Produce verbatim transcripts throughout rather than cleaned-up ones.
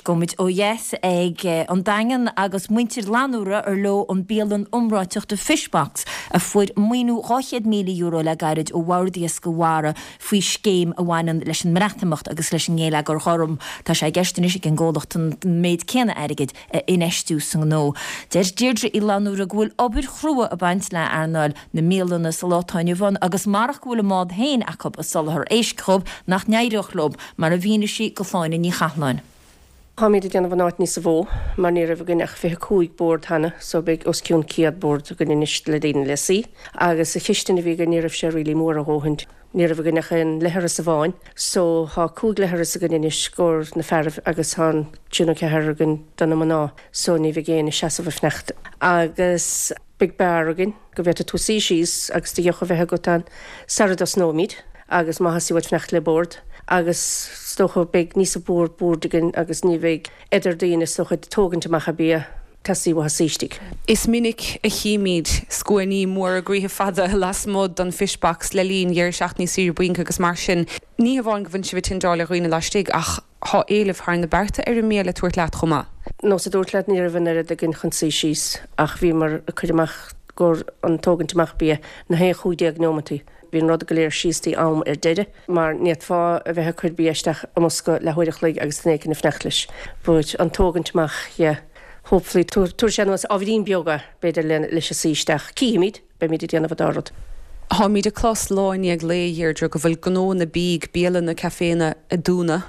Gabhfaimid ó dheas ag an Daingean agus muintir Fhlannúra ar leo an bialann iomráiteach The Fishbox a fuair maoiniú dhá chéad míle euro le gairid ó Bhord Iascaigh Mhara faoi scéim a bhaineann leis an mBreatimeacht agus leis an ngeilleagar gorm. Tá sé i gceist anois ag an gcomhlacht an méid céanna airgid a infheistiú sa ngnó. Deir Deirdre Uí Fhlannúra go bhfuil obair chrua ag baint le earnáil na mbialanna sa lá atá inniu ann agus marach go bhfuil a mbád féin acu ag soláthar éisc dhóibh nach n-éireodh leo, mar a mhínigh sí do Shláine Ní Chathalláin. Táimid ag déanamh an áit níosa mhó mar ní raibh againn ach fiche cúig bord cheana so beidh os cionn céad bord againn anois le daoine le suí. Agus an chistin a bhí againn ní raibh sé really mór a dhóthain. Ní raibh againn ach aon leithreas amháin so tá cúig leithreas againn anois i gcomhair na fearaibh agus tá an trí nó ceathair againn do na mná so ní bheidh éinne ag seasamh ag fanacht. Agus beidh beár againn go bhféadfaidh tú suí síos agus do dheoch a bheith agat ann sara dtosnóimid agus má theastaíonn uait fanacht le bord agus is dócha beidh níosa mhór boird againn agus ní bheidh idir daoine is dócha ag tógaint amach an bia teastaíonn uathu suí istigh. Is minic a chímid scuainí móra groíthe fada lasmuigh don Fishbox le linn dheireadh seachtaine saoire bainc agus mar sin. Ní hamháin go bhfuil sibh ag tindeáil ar dhaoine laistigh ach tá éileamh thar na bearta ar an mbia le tabhairt leat chomh maith. Nós a dúirt leat ní raibh an oiread againn chun suí síos ach bhíomar ag cur amach i gcomhair an tógaint amach bia na haon chúig déag neomataí. Bhí an rud go léir síos dtí am ar deireadh mar ní fhéadfá a bheith ag cur bia isteach i mbosca leathuair a chloig agus duine éicint ag fanacht leis. But an tógaint amach, yeah, hopefully tabharfaidh sé anuas ábhairín beag é, b'fhéidir le leis a suí isteach. Cífimid, beimid ag déanamh an dá rud. Táimid ag clos lá i ndiaidh lae, a Dheirdre, go bhfuil gnóanna bídh, bialanna, caiféanna ag dúnadh.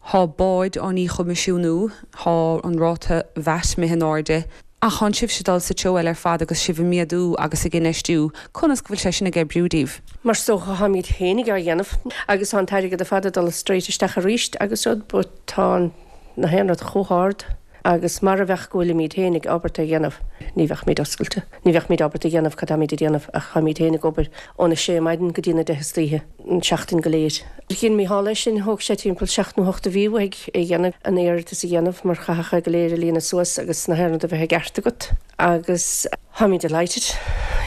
Tá báid á ndíchoimisiúnú, tá an ráta VAT imithe in airde. Ach tánn sibhse ag dul sa treo eile ar fad agus sibh ag méadú agus ag infheistiú. Conas go bhfuil sé sin ag oibriú daoibh? Mar is dócha táimid féinig á dhéanamh agus tá an t-airgead ar fad ag dul straight isteach arís agus rud but tá na haon rud chomh hard agus mara bheadh go bhfuilimid féinig ábalta a dhéanamh ní bheadh oscailte. Ní bheadh ábalta a dhéanamh cad táimid a dhéanamh ach táimid féin ag obair óna sé maidin go dtí na deich istoíche an seachtain go léir. Dhein Mícheál é sin thóg sé timpeall seacht nó hocht de mhí uaidh é dhéanamh an iarratas a dhéanamh mar chaithfeadh go léir a líonadh suas agus na haon rud a bheith i gceart agat agus táimid delighted.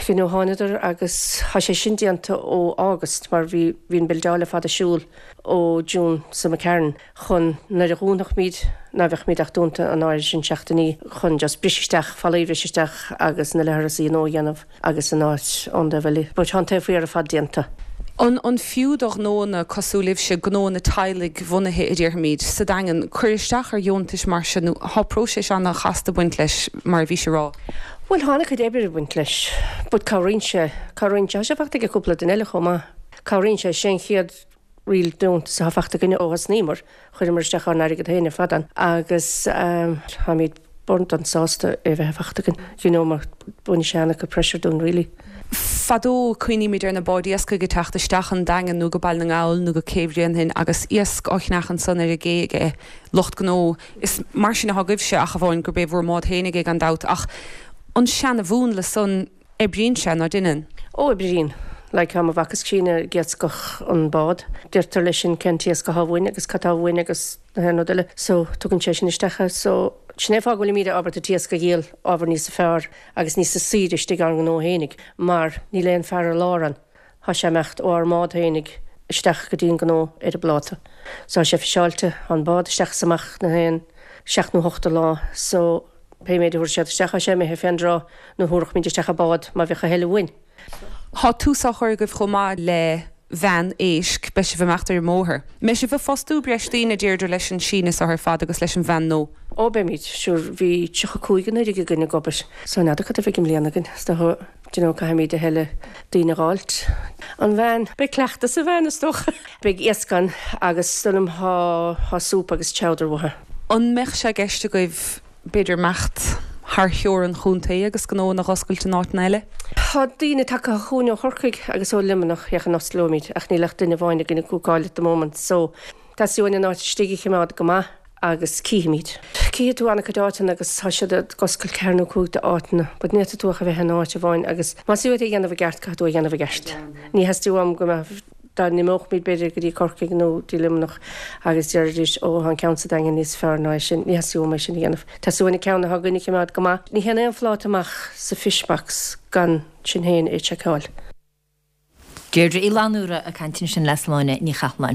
You know, thánadar agus tá sé sin déanta ó August mar bhí bhí an buildeáil fada siúl ó June sa McCarran chun nuair a dhúnfaimid ná bheadh ach dúnta an áir sin seachtainí chun just bris isteach fallaí bris isteach agus na leithreasaí nua a dhéanamh agus an áit an de bhfuil but tá an taobh thiar ar fad déanta. An an fiú do ghnóanna cosúil libhse gnóanna teaghlaigh bhunaithe a déarfaimid sa Daingean cur isteach ar dheontais mar sin nó tá próiseas an-chasta ag baint leis mar a bhí sé rá. Well tháinig cuid oibre ag baint leis, but cabhraíonn sé cabhraíonn sé sé fachta ag cúpla duine eile chomh maith. Cabhraíonn sé sin chéad real deontas atá fachta againne ó thosnaíomar chuireamar isteach ár n-airgead féin ar fad ann agus táimid burndan sásta é bheith fachta againn. You know, mar baineann sé an-chuid pressure dúinn really. Fadó cuimhnímid ar na báid iascaigh ag teacht isteach an Daingean nó go Baile na nGall nó go Cé Bhréanainn agus iasc á cheannach ansan ar an gcé ag lucht gnó. Is mar sin atá agaibhse ach amháin gurb é bhur mbád féinig é gan dabht ach an seana-mhúnla san oibríonn sé ná déanann. Ó oibríonn. Like tá mo mhac is críonna ag iascach an bád. Deirtear leis sin cén t-iasc atá uainn agus cad tá uainn agus na haon rud eile. So tugann sé sin isteach so sin é fáth go bhfuilimid ábalta t-iasc a dhíol ábhar níos fearr agus níos saoire istigh ár ngnó féinig mar níl aon fear ar lár ann. Tá sé imeacht ó ár mbád féinig isteach go dtí an gnó ar an bpláta. So tá sé fiseáilte an bád isteach is amach na haon seacht nó hocht lá so pé méid a thabharfaidh siad isteach tá sé imithe fén dtráth nó thabharfadh isteach a bád má bheadh a thuilleadh uainn. Tá tús á chur agaibh chomh maith le veain éisc beidh sibh amach ar an mbóthar. Mbeidh sibh ag fostú breis daoine Deirdre leis an síneadh seo ar fad agus leis an veain nua. Ó beimid sure bhí tríocha cúig anuraidh againn ag obair. So n'fheadar cad a bheidh i mbliana againn is dócha do you know, caithfimid a thuilleadh daoine a dh'fháilt. An veain beidh cleachtas sa veain is dócha. Beidh iasc ann agus dóigh liom tá tá súp agus chowder uathu. An mbeadh sé i gceist agaibh b'fhéidir imeacht thar theorainn an chontae agus gnóanna a oscailt in áiteanna eile? Tá daoine tagtha chugainn ó Chorcaigh agus ó Luimneach féachaint an osclóimid ach níl ach duine amháin againn ag cúcáil at the moment so teastaíonn an áit istigh a choimeád go maith agus cífimid. Cífidh tú an-chuid áiteanna agus tá siad ag oscailt ceathair nó cúig de áiteanna, but ní fhéadfaidh tú ach a bheith in áit amháin agus más uait é a dhéanamh i gceart caithfidh tú a dhéanamh i gceart. Ní theastaíonn uaim go mbeadh dá n-imeochaimid b'fhéidir go dtí Corcaigh nó dtí Luimneach agus deiridís ó an ceann sa Daingean níos fearr ná é sin, ní theastaíonn uaim é sin a dhéanamh. Teastaíonn uainn an ceann atá againn a choimeád go maith. Ní théann aon phláta amach sa fishbox gan sinn féin é seiceáil. Deirdre Uí Fhlannúra ag caint ansin le Sláine Ní Chathalláin.